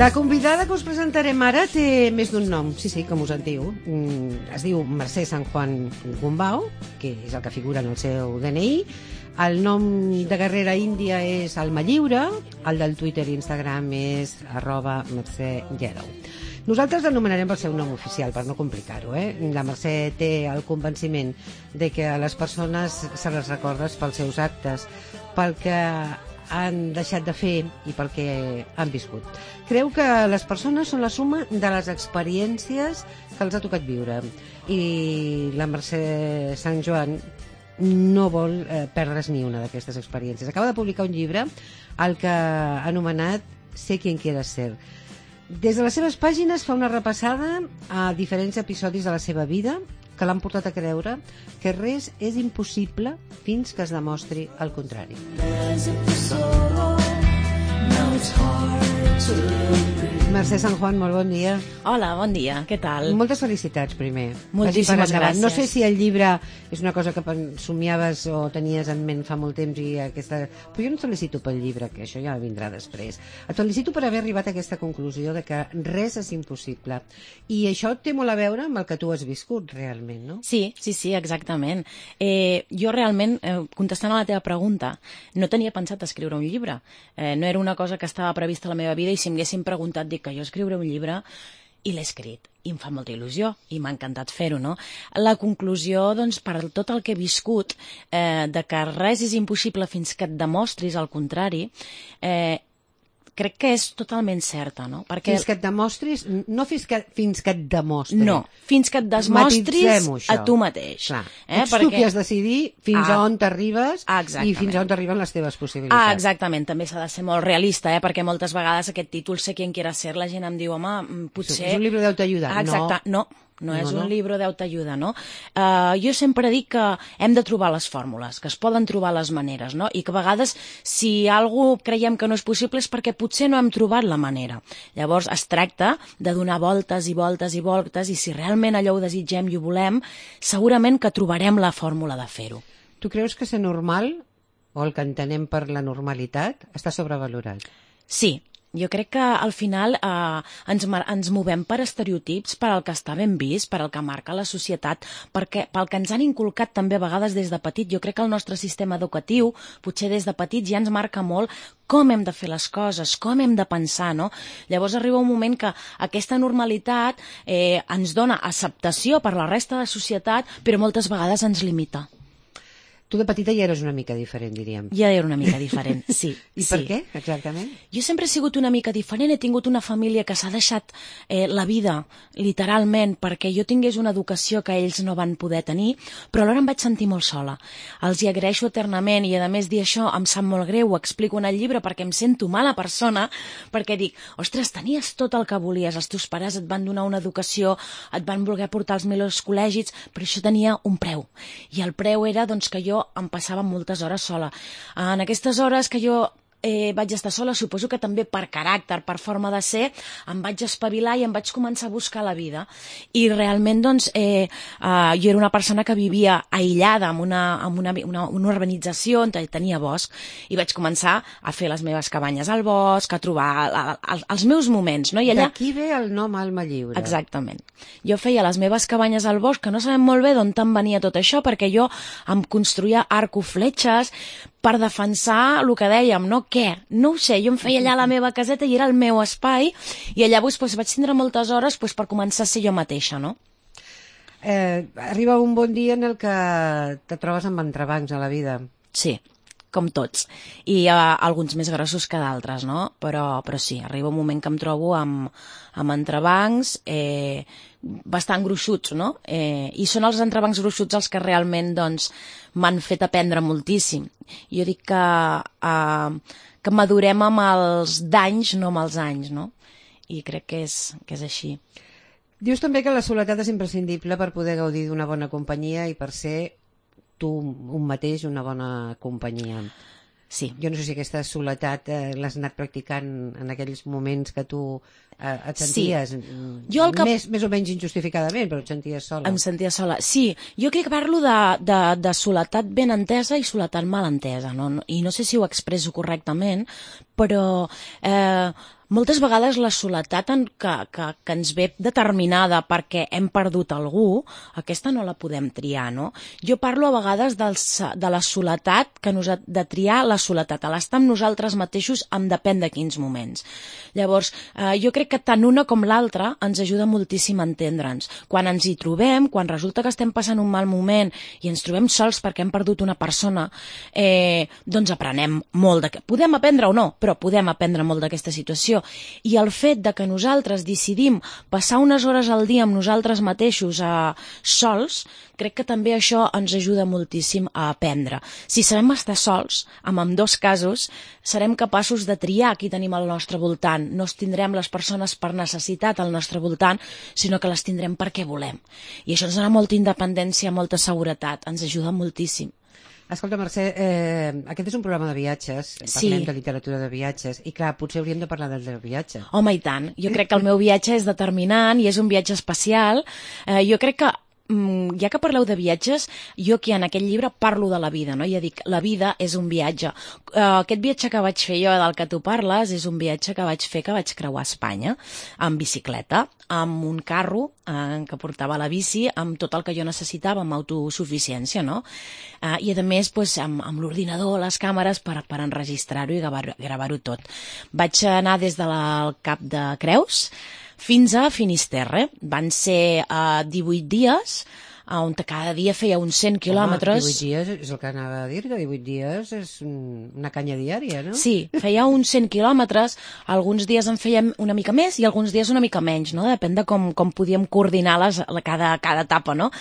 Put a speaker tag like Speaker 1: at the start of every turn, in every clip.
Speaker 1: La convidada que us presentarem ara té més d'un nom, sí, com us en diu. Es diu Mercè San Juan Gumbau, que és el que figura en el seu DNI. El nom de guerrera índia és Alma Lliure, el del Twitter i Instagram és @mercèyellow. Nosaltres l'anomenarem pel seu nom oficial, per no complicar-ho. La Mercè té el convenciment de que a les persones se les recordes pels seus actes, pel que han deixat de fer i pel que han viscut. Creu que les persones són la suma de les experiències que els ha tocat viure. I la Mercè Sant Joan no vol perdre's ni una d'aquestes experiències. Acaba de publicar un llibre, el que ha anomenat Sé quien quieras ser. Des de les seves pàgines fa una repassada a diferents episodis de la seva vida que l'han portat a creure que res és impossible fins que es demostri el contrari. Mercè Sant Juan, molt bon dia.
Speaker 2: Hola, bon dia, què tal?
Speaker 1: Moltes felicitats, primer.
Speaker 2: Moltíssimes gràcies.
Speaker 1: No sé si el llibre és una cosa que somiaves o tenies en ment fa molt temps i aquesta... Però jo no et felicito pel llibre, que això ja vindrà després. Et felicito per haver arribat a aquesta conclusió de que res és impossible. I això té molt a veure amb el que tu has viscut, realment, no?
Speaker 2: Sí, exactament. Jo realment, contestant a la teva pregunta, no tenia pensat escriure un llibre. No era una cosa que estava prevista a la meva vida i si m'haguessin preguntat, dic que jo escriuré un llibre i l'he escrit. I em fa molta il·lusió i m'ha encantat fer-ho, no? La conclusió, doncs, per tot el que he viscut, de que res és impossible fins que et demostris el contrari, crec que és totalment certa, no? Perquè...
Speaker 1: Fins que et demostris, no fins que et demostris.
Speaker 2: No, fins que et demostris a tu mateix.
Speaker 1: Clar. Ets tu qui has de decidir fins a on t'arribes i fins a on t'arriben les teves possibilitats.
Speaker 2: Exactament, també s'ha de ser molt realista, perquè moltes vegades aquest títol Sé quien quiera ser, la gent em diu, home, potser...
Speaker 1: És un llibre d'autoajuda.
Speaker 2: Exacte, no és un llibre d'autoajuda, no? Jo sempre dic que hem de trobar les fórmules, que es poden trobar les maneres, no? I que a vegades, si alguna creiem que no és possible és perquè potser no hem trobat la manera. Llavors es tracta de donar voltes i voltes i voltes i si realment allò ho desitgem i ho volem, segurament que trobarem la fórmula de fer-ho.
Speaker 1: Tu creus que ser normal, o el que entenem per la normalitat, està sobrevalorat?
Speaker 2: Sí. Jo crec que al final ens movem per estereotips, per el que està ben vist, per el que marca la societat, pel que ens han inculcat també a vegades des de petit. Jo crec que el nostre sistema educatiu, potser des de petits, ja ens marca molt com hem de fer les coses, com hem de pensar, no? Llavors arriba un moment que aquesta normalitat ens dona acceptació per la resta de la societat, però moltes vegades ens limita.
Speaker 1: Tu de petita ja eres una mica diferent, diríem.
Speaker 2: Ja era una mica diferent, sí.
Speaker 1: I per què, exactament?
Speaker 2: Jo sempre he sigut una mica diferent, he tingut una família que s'ha deixat la vida, literalment, perquè jo tingués una educació que ells no van poder tenir, però alhora em vaig sentir molt sola. Els hi agraeixo eternament i, a més, dir això em sap molt greu, ho explico en el llibre perquè em sento mala persona, perquè dic, ostres, tenies tot el que volies, els teus pares et van donar una educació, et van voler portar als millors col·legis, però això tenia un preu. I el preu era, doncs, que jo em passava moltes hores sola. En aquestes hores que jo vaig estar sola, suposo que també per caràcter, per forma de ser, em vaig espavilar i em vaig començar a buscar la vida. I realment, doncs, jo era una persona que vivia aïllada en una urbanització on tenia bosc i vaig començar a fer les meves cabanyes al bosc, a trobar els meus moments, no? I allà...
Speaker 1: D'aquí ve el nom Alma Lliure.
Speaker 2: Exactament. Jo feia les meves cabanyes al bosc, que no sabem molt bé d'on te'n venia tot això, perquè jo em construïa arco fletxes per defensar el que dèiem, no? Què? No ho sé, jo em feia allà la meva caseta i era el meu espai i allà vaig tindre moltes hores per començar a ser jo mateixa, no?
Speaker 1: Arriba un bon dia en el que te trobes amb entrebancs a la vida.
Speaker 2: Sí, com tots. I alguns més grossos que d'altres, no? Però sí, arriba un moment que em trobo amb entrebancs bastant gruixuts, no? I són els entrebancs gruixuts els que realment, doncs, m'han fet aprendre moltíssim. Jo dic que madurem amb els danys, no amb els anys, no? I crec que és així.
Speaker 1: Dius també que la soledat és imprescindible per poder gaudir d'una bona companyia i per ser tu un mateix una bona companyia.
Speaker 2: Sí.
Speaker 1: Jo no sé si aquesta soledat l'has anat practicant en aquells moments que tu et senties més o menys injustificadament, però et senties sola.
Speaker 2: Em sentia sola, sí. Jo crec que parlo de soledat ben entesa i soledat mal entesa, no? I no sé si ho expresso correctament, però moltes vegades la soledat que ens ve determinada perquè hem perdut algú, aquesta no la podem triar, no? Jo parlo a vegades de la soledat, de triar la soledat, l'estar amb nosaltres mateixos en depèn de quins moments. Llavors, jo crec que tant una com l'altra ens ajuda moltíssim a entendre'ns. Quan ens hi trobem, quan resulta que estem passant un mal moment i ens trobem sols perquè hem perdut una persona, doncs aprenem molt. Podem aprendre o no, però podem aprendre molt d'aquesta situació. I el fet de que nosaltres decidim passar unes hores al dia amb nosaltres mateixos sols, crec que també això ens ajuda moltíssim a aprendre. Si sabem estar sols, en ambdós casos, serem capaços de triar qui tenim al nostre voltant. No es tindrem les persones per necessitat al nostre voltant, sinó que les tindrem perquè volem. I això ens dona molta independència, molta seguretat, ens ajuda moltíssim.
Speaker 1: Escolta, Mercè, aquest és un programa de viatges, parlem de literatura de viatges, i clar, potser hauríem de parlar del viatge.
Speaker 2: Home, i tant. Jo crec que el meu viatge és determinant i és un viatge especial. Jo crec que ja que parleu de viatges, jo aquí en aquest llibre parlo de la vida, no? Ja dic, la vida és un viatge. Aquest viatge que vaig fer jo, del que tu parles, és un viatge que vaig creuar Espanya, amb bicicleta, amb un carro que portava la bici, amb tot el que jo necessitava, amb autosuficiència, no? I a més, amb l'ordinador, les càmeres, per enregistrar-ho i gravar-ho tot. Vaig anar des del Cap de Creus fins a Finisterre. Van ser 18 dies, on cada dia feia uns 100 quilòmetres.
Speaker 1: 18 dies és el que anava a dir, que 18 dies és una canya diària, no?
Speaker 2: Sí, feia uns 100 quilòmetres, alguns dies en fèiem una mica més i alguns dies una mica menys, no? Depèn de com podíem coordinar cada etapa, no?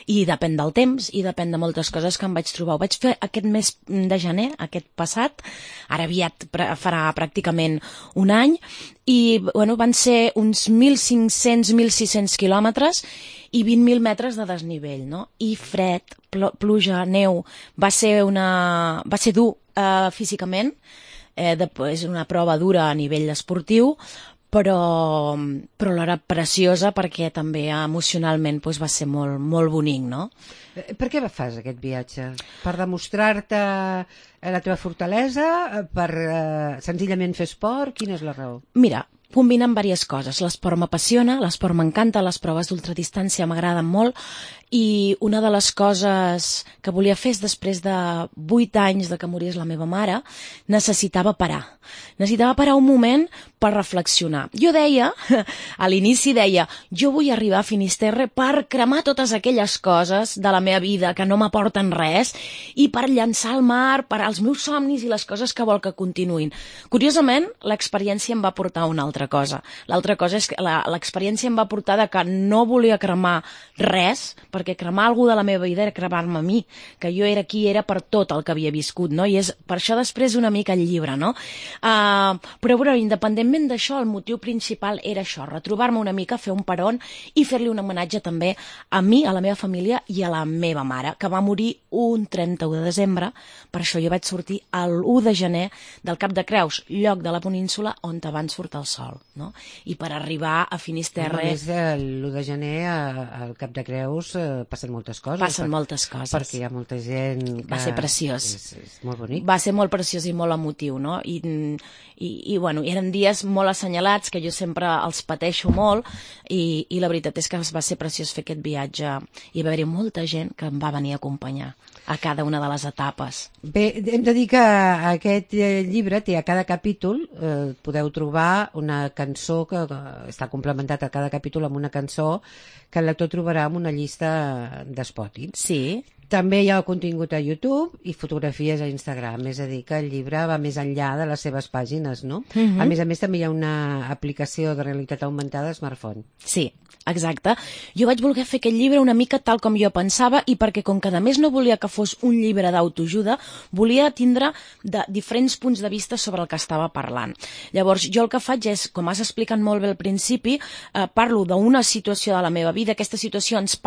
Speaker 2: I depèn del temps i depèn de moltes coses que em vaig trobar. Ho vaig fer aquest mes de gener, aquest passat, ara aviat farà pràcticament un any, i van ser uns 1.500-1.600 quilòmetres i 20.000 metres de desnivell, no? I fred, pluja, neu, va ser dur físicament, és una prova dura a nivell esportiu, però alhora preciosa perquè també emocionalment va ser molt, molt bonic, no?
Speaker 1: Per què fas aquest viatge? Per demostrar-te la teva fortalesa? Per senzillament fer esport? Quina és la raó?
Speaker 2: Mira, combinen diverses coses. L'esport m'apassiona, l'esport m'encanta, les proves d'ultradistància m'agraden molt, i una de les coses que volia fer és, després de 8 anys de que morís la meva mare, necessitava parar. Necessitava parar un moment per reflexionar. Jo deia, a l'inici deia, jo vull arribar a Finisterre per cremar totes aquelles coses de la meva vida que no m'aporten res i per llançar al mar, per als meus somnis i les coses que vol que continuïn. Curiosament, l'experiència em va portar a una altra cosa. L'altra cosa és que l'experiència em va portar de que no volia cremar res, perquè cremar algú de la meva vida era cremar-me a mi, que jo era qui era per tot el que havia viscut, no? I és per això després una mica el llibre, no? Però independentment d'això, el motiu principal era això, retrobar-me una mica, fer un peron i fer-li un homenatge també a mi, a la meva família i a la meva mare, que va morir un 31 de desembre. Per això jo vaig sortir l'1 de gener del Cap de Creus, lloc de la península on abans surt el sol, no? I per arribar a Finisterre...
Speaker 1: A més, l'1 de gener al Cap de Creus passen moltes coses.
Speaker 2: Passen moltes coses.
Speaker 1: Perquè hi ha molta gent que...
Speaker 2: Va ser preciós.
Speaker 1: És molt bonic.
Speaker 2: Va ser molt preciós i molt emotiu, no? I eren dies molt assenyalats, que jo sempre els pateixo molt, i la veritat és que va ser preciós fer aquest viatge. I va haver-hi molta gent que em va venir a acompanyar a cada una de les etapes.
Speaker 1: Bé, hem de dir que aquest llibre té a cada capítol, podeu trobar una cançó que està complementat a cada capítol amb una cançó que el lector trobarà en una llista d'Spotify.
Speaker 2: Sí.
Speaker 1: També hi ha contingut a YouTube i fotografies a Instagram, és a dir, que el llibre va més enllà de les seves pàgines, no? A més, també hi ha una aplicació de realitat augmentada a smartphone.
Speaker 2: Sí, exacte. Jo vaig voler fer aquest llibre una mica tal com jo pensava, i perquè, com que a més no volia que fos un llibre d'autoajuda, volia tindre diferents punts de vista sobre el que estava parlant. Llavors, jo el que faig és, com has explicat molt bé al principi, parlo d'una situació de la meva vida. Aquesta situació ens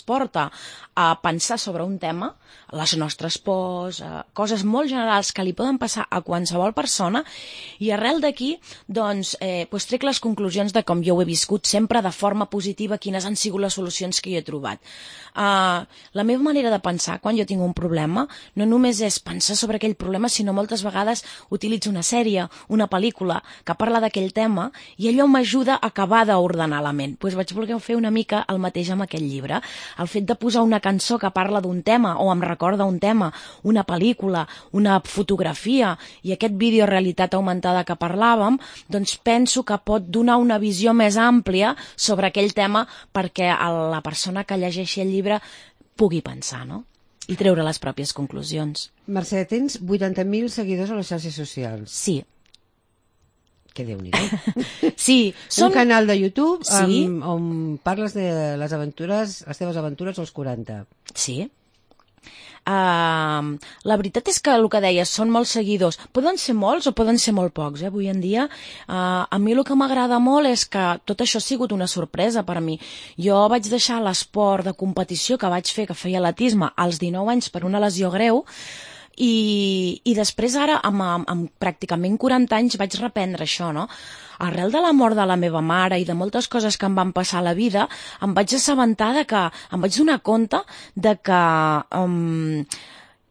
Speaker 2: porta a pensar pensar sobre un tema, les nostres pors, coses molt generals que li poden passar a qualsevol persona, i arrel d'aquí doncs, trec les conclusions de com jo ho he viscut sempre de forma positiva, quines han sigut les solucions que jo he trobat. La meva manera de pensar quan jo tinc un problema no només és pensar sobre aquell problema, sinó moltes vegades utilitzo una sèrie, una pel·lícula que parla d'aquell tema i allò m'ajuda a acabar d'ordenar la ment. Doncs vaig voler fer una mica el mateix amb aquest llibre. El fet de posar una cançó que parla d'un tema o em recorda un tema, una pel·lícula, una fotografia i aquest vídeo realitat augmentada que parlàvem, doncs penso que pot donar una visió més àmplia sobre aquell tema perquè la persona que llegeixi el llibre pugui pensar, no? I treure les pròpies conclusions.
Speaker 1: Mercè, tens 80.000 seguidors a les xarxes socials.
Speaker 2: Sí.
Speaker 1: Que Déu-n'hi-do.
Speaker 2: Sí.
Speaker 1: Un canal de YouTube
Speaker 2: sí.
Speaker 1: on parles de les teves aventures als 40.
Speaker 2: Sí. La veritat és que el que deies, són molts seguidors. Poden ser molts o poden ser molt pocs, avui en dia. A mi el que m'agrada molt és que tot això ha sigut una sorpresa per mi. Jo vaig deixar l'esport de competició que vaig fer, que feia atletisme, als 19 anys per una lesió greu, i després ara, amb pràcticament 40 anys, vaig reprendre això, no? Arrel de la mort de la meva mare i de moltes coses que em van passar a la vida, em vaig assabentar em vaig donar compte de que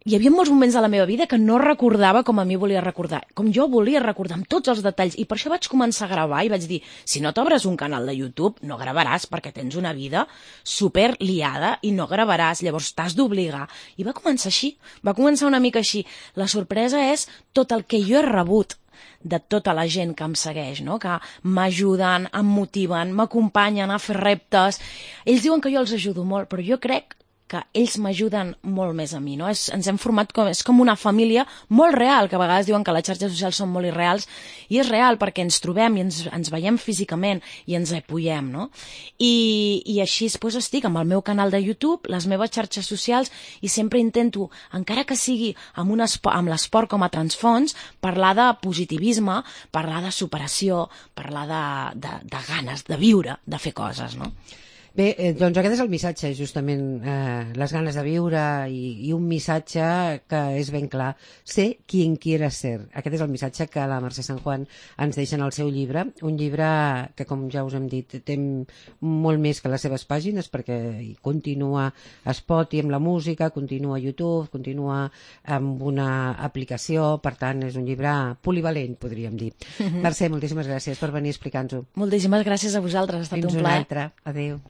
Speaker 2: hi havia molts moments de la meva vida que no recordava com a mi volia recordar, com jo volia recordar, amb tots els detalls, i per això vaig començar a gravar i vaig dir, si no t'obres un canal de YouTube, no gravaràs perquè tens una vida super liada i no gravaràs, llavors t'has d'obligar. I va començar així, va començar una mica així. La sorpresa és tot el que jo he rebut de tota la gent que em segueix, no? Que m'ajuden, em motiven, m'acompanyen a fer reptes. Ells diuen que jo els ajudo molt, però jo crec que ells m'ajuden molt més a mi, no? Ens hem format és com una família molt real, que a vegades diuen que les xarxes socials són molt irreals, i és real perquè ens trobem i ens veiem físicament i ens apoyem, no? I així doncs estic amb el meu canal de YouTube, les meves xarxes socials, i sempre intento, encara que sigui amb l'esport com a transfons, parlar de positivisme, parlar de superació, parlar de ganes de viure, de fer coses, no?
Speaker 1: Bé, doncs aquest és el missatge, justament, les ganes de viure i un missatge que és ben clar. Sé quien quieras ser. Aquest és el missatge que la Mercè San Juan ens deixa en el seu llibre. Un llibre que, com ja us hem dit, té molt més que les seves pàgines, perquè continua a Spotify amb la música, continua a YouTube, continua amb una aplicació, per tant, és un llibre polivalent, podríem dir. Mercè, moltíssimes gràcies per venir a explicar-nos-ho.
Speaker 2: Moltíssimes gràcies a vosaltres, ha estat un plaer.
Speaker 1: Fins una altra. Adéu.